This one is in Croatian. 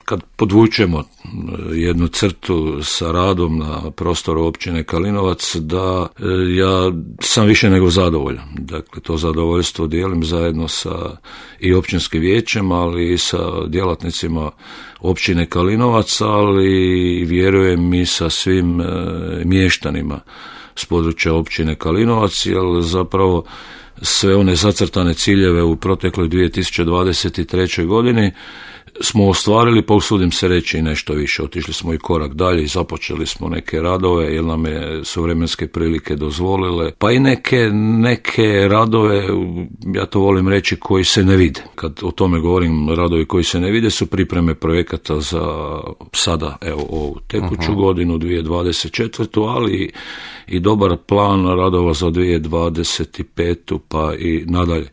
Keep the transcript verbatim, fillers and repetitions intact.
kad podvučemo jednu crtu sa radom na prostoru općine Kalinovac, da ja sam više nego zadovoljan. Dakle, to zadovoljstvo dijelim zajedno sa i općinskim vijećem, ali i sa djelatnicima općine Kalinovac, ali vjerujem i sa svim mještanima s područja općine Kalinovac, jer zapravo sve one zacrtane ciljeve u protekloj dvije tisuće dvadeset trećoj godini smo ostvarili, pa usudim se reći i nešto više. Otišli smo i korak dalje i započeli smo neke radove, jer nam je su vremenske prilike dozvolile, pa i neke, neke radove, ja to volim reći, koji se ne vide. Kad o tome govorim, radovi koji se ne vide su pripreme projekata za sada, evo, ovu tekuću uh-huh. godinu, dvije tisuće dvadeset četvrtu, ali i dobar plan radova za dvije tisuće dvadeset petu pa i nadalje.